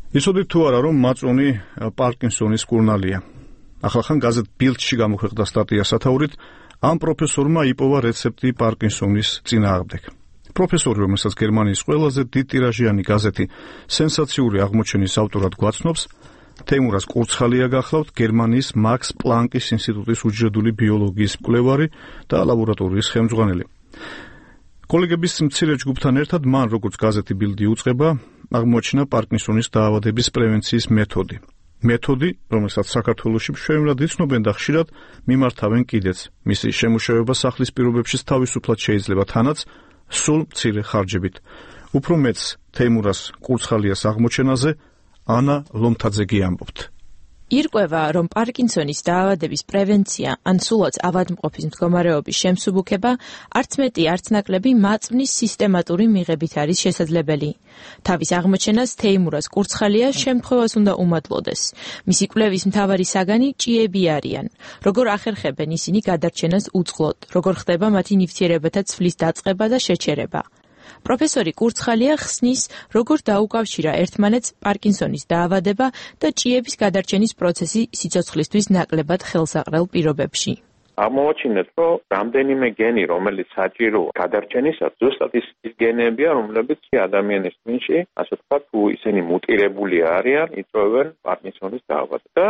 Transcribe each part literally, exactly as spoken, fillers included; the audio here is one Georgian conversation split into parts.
იცოდით თუ არა, რომ მაწონი პარკინსონის კურნალია. ახალხან გაზეთ ბილდში გამოქვეყნდა სტატია სათაურით ამ პროფესორმა იპოვა რეცეპტი პარკინსონის წინააღმდეგ. პროფესორი, რომელსაც გერმანიის ყველაზე დიდ ტირაჟიანი გაზეთი სენსაციური აღმოჩენის ავტორად გვაცნობს, თეიმურას კურცხალია გახლავთ, გერმანიის მაქს პლანკის ინსტიტუტის უჯრედული ბიოლოგიის მკვლევარი და ლაბორატორიის ხელმძღვანელი. კოლეგების მცირე ჯგუფთან ერთად მან, როგორც გაზეთი ბილდი უწყება, აღმოჩნდა პარკინსონის დაავადების პრევენციის მეთოდი. მეთოდი, რომელსაც საქართველოში მშვენივრად იცნობენ და ხშირად მიმართავენ კიდეც. მისი შემუშავება სახლის პირობებშიც თავისუფლად შეიძლება, თანაც სულ მცირე ხარჯებით. უფრო მეც თეიმურას კურცხალიას აღმოჩენაზე ანა ლომთაძეგი ამბობთ. ირკვევა, რომ პარკინსონის დაავადების პრევენცია ან სულაც ავადმყოფის მდგომარეობის შემსუბუქება არც მეტი არც ნაკლები მაწვნის სისტემატური მიღებით არის შესაძლებელი. თავის აღმოჩენას თეიმურას კურცხალია შემთხვევას უნდა უმადლოდეს. მისი კვლევის მთავარი საგანი ჭიები არიან. როგორ ახერხებენ ისინი გადარჩენას უწყლოდ, როგორ ხდება მათი ნივთიერებათა ცვლის დაწყება და შეჩერება. პროფესორი კურცხალია ხსნის, როგორ დაუკავშირა ერთმანეთს პარკინსონის დაავადება და ჭიების გადარჩენის პროცესი სიცოცხლისთვის ნაკლებად ხელსაყრელ პირობებში. აღმოაჩინეთ, რომ რამდენიმე გენი, რომელიც საჭირო გადარჩენისას, ზუსტად ის გენებია, რომლებიც ადამიანის ტვინში, ასე ვთქვათ, თუ ისინი მუტირებული არიან, იწვევენ პარკინსონის დაავადებას. და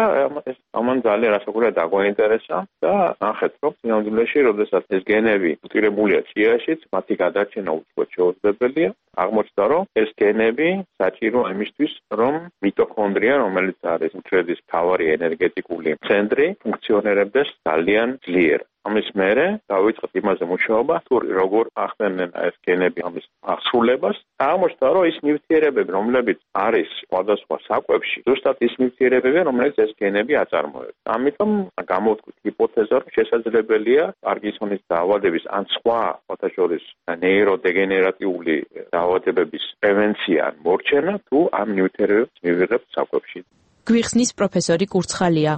ამან ძალიან რასაკვირველია დაგვაინტერესა და ნახეთ, რომ სინამდვილეში, როდესაც ეს გენები მუტირებულია ჭიაშიც, მათი გადარჩენა უცხოდ შეუძლებელია. აღმოჩნდა, რომ ეს გენები საჭირო იმისთვის, რომ მიტოქონდრია, რომელიც არის მწვერდის მთავარი ენერგეტიკული ცენტრი, ფუნქციონირებდეს ძალიან ძლიერ. ამის მერე დავიწყეთ იმაზე მუშაობა, თუ როგორ ახდენენ ეს გენები ამის აღსრულებას. აღმოჩნდა, რომ ის ნივთიერებები, რომლებიც არის სხვადასხვა საკვებში, ზუსტად ის ნივთიერებებია, რომელიც ეს გენები აწარმოებს. ამიტომ გამოვთქვით ჰიპოთეზა, რომ შესაძლებელია პარკინსონის დაავადების ან სხვა ფოთაშორის ნეიროდეგენერატიული დაავადებების პრევენცია ან მორჩენა, თუ ამ ნივთიერებებს მივიღებთ საკვებში. გვიხსნის პროფესორი კურცხალია.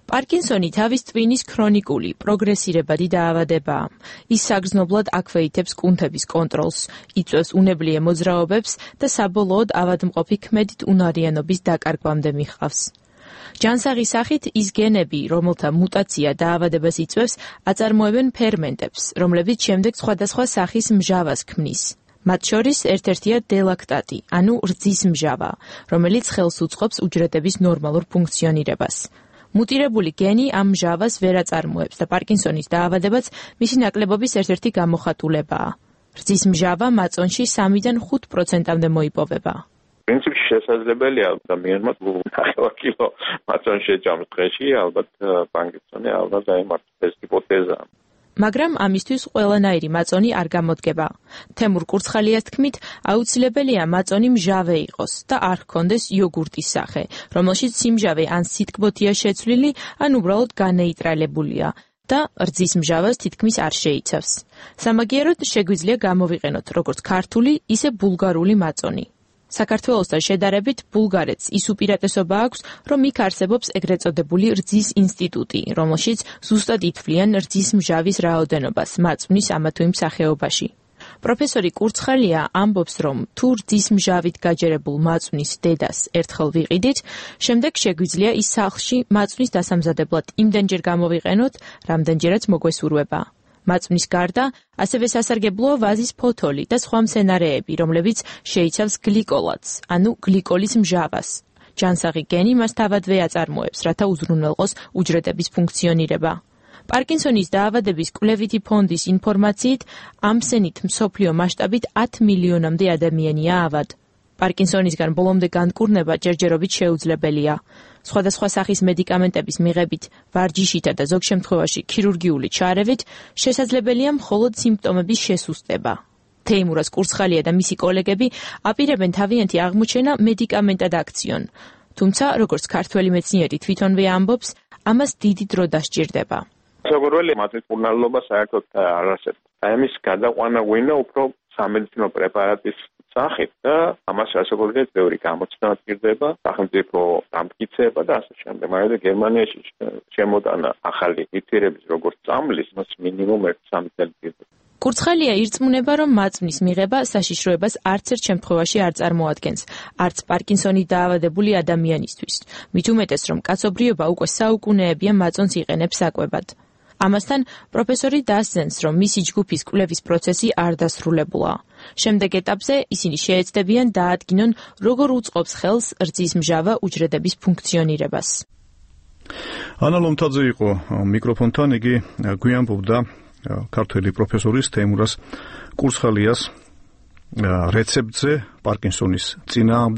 პარკინსონი თავის ტვინის ქრონიკული, პროგრესირებადი დაავადებაა. ის საგრძნობლად აქვეითებს კუნთების კონტროლს, იწვევს უნებლიე მოძრაობებს და საბოლოოდ ავადმყოფი ქმედით უნარიანობის დაკარგვამდე მიჰყავს. ჯანსაღის სახით ის გენები, რომელთა მუტაცია დაავადებას იწვევს, აწარმოებენ ფერმენტებს, რომლებიც შემდეგ სხვადასხვა სახის მჟავას ქმნის. მათ შორის ერთ-ერთია დელაქტატი, ანუ რძის მჟავა, რომელიც ხელს უწყობს უჯრედების ნორმალურ ფუნქციონირებას. მუტირებული გენი ამ მჟავას ვერ აწარმოებს და პარკინსონის დაავადებაც მისი ნაკლებობის ერთ-ერთი გამოხატულებაა. რძის მჟავა მაწონში სამიდან ხუთ პროცენტამდე მოიპოვება. პრინციპში შესაძლებელია ადამიანმა ნახევარ კილო მაწონი შეჭამს დღეში, ალბათ პარკინსონი ალბათ დაემართოს, ეს ჰიპოთეზაა. მაგრამ ამისთვის ყველანაირი მაწონი არ გამოდგება. თემურ კურცხალიას თქმით, აუცილებელია მაწონი მჟავე იყოს და არ ჰქონდეს იოგურტის სახე, რომელშიც სიმჟავე ან სითბოთია შეცვლილი, ან უბრალოდ განეიტრალებულია და რძის მჟავას თითქმის არ შეიცავს. სამაგიეროდ შეგვიძლია გამოვიყენოთ როგორც ქართული, ისე ბულგარული მაწონი. საქართველოსთან შედარებით ბულგარეთს ის უპირატესობა აქვს, რომ იქ არსებობს ეგრეთ წოდებული რძის ინსტიტუტი, რომელშიც ზუსტად ითვლიან რძის მჟავის რაოდენობას მაწვნის ამა თუ იმ სახეობაში. პროფესორი კურცხალია ამბობს, რომ თუ რძის მჟავით გაჯერებულ მაწვნის დედას ერთხელ ვიყიდით, შემდეგ შეგვიძლია ის სახლში მაწვნის დასამზადებლად იმდენჯერ გამოვიყენოთ, რამდენჯერაც მოგვესურვება. მაწვნის გარდა, ასევე სასარგებლოა ვაზის ფოთოლი და სხვა მცენარეები, რომლებიც შეიცავს გლიკოლატს, ანუ გლიკოლის მჟავას. ჯანსაღი გენი მას თავადვე აწარმოებს, რათა უზრუნველყოს უჯრედების ფუნქციონირება. პარკინსონის დაავადების კვლევითი ფონდის ინფორმაციით, ამ სენით მსოფლიო მასშტაბით ათი მილიონამდე ადამიანია ავად. პარკინსონისგან ბოლომდე განკურნება ჯერჯერობით შეუძლებელია. სხვადასხვა სახის მედიკამენტების მიღებით, ვარჯიშითა და ზოგ შემთხვევაში ქირურგიული ჩარევით შესაძლებელია მხოლოდ სიმპტომების შესუსტება. თეიმურას კურცხალია და მისი კოლეგები აპირებენ თავიანთი აღმოჩენა მედიკამენტად აქციონ. თუმცა, როგორც ქართველი მეცნიერი თვითონვე ამბობს, ამას დიდი დრო დასჭირდება. საგორველი მათი კურნალობა საერთოდ არ არსებობს. ამის გადაყვანა გვინდა უფრო სამედიცინო პრეპარატის სახით და ამას რასაკვირველია ბევრი გამოცდა ჭირდება, სახელმწიფო დამტკიცება და ასე შემდეგ. მაგრამ გერმანიაში შემოტანა ახალი ნივთიერების როგორც წამლის, მას მინიმუმ ერთი სამი წელი ჭირდება. კურცხალია ირწმუნება, რომ მაწვნის მიღება საშიშროებას არც ერთ შემთხვევაში არ წარმოადგენს, არც პარკინსონი დაავადებული ადამიანისთვის. მით უმეტეს, რომ კაცობრიობა უკვე საუკუნეებია მაწონს იყენებს საკვებად. ამასთან პროფესორი დასძენს, რომ მისი ჯგუფის კვლევის პროცესი არ დასრულებულა. შემდეგ ეტაპზე ისინი შეეცდებიან დაადგინონ, როგორ უწყობს ხელს რძის მჟავა უჯრედების ფუნქციონირებას. ანა ლომთაძე იყო მიკროფონთან, იგი გვიანბობდა ქართველი პროფესორის თეიმურაზ კურცხალიას რეცეპტზე პარკინსონის წინააღმდეგ.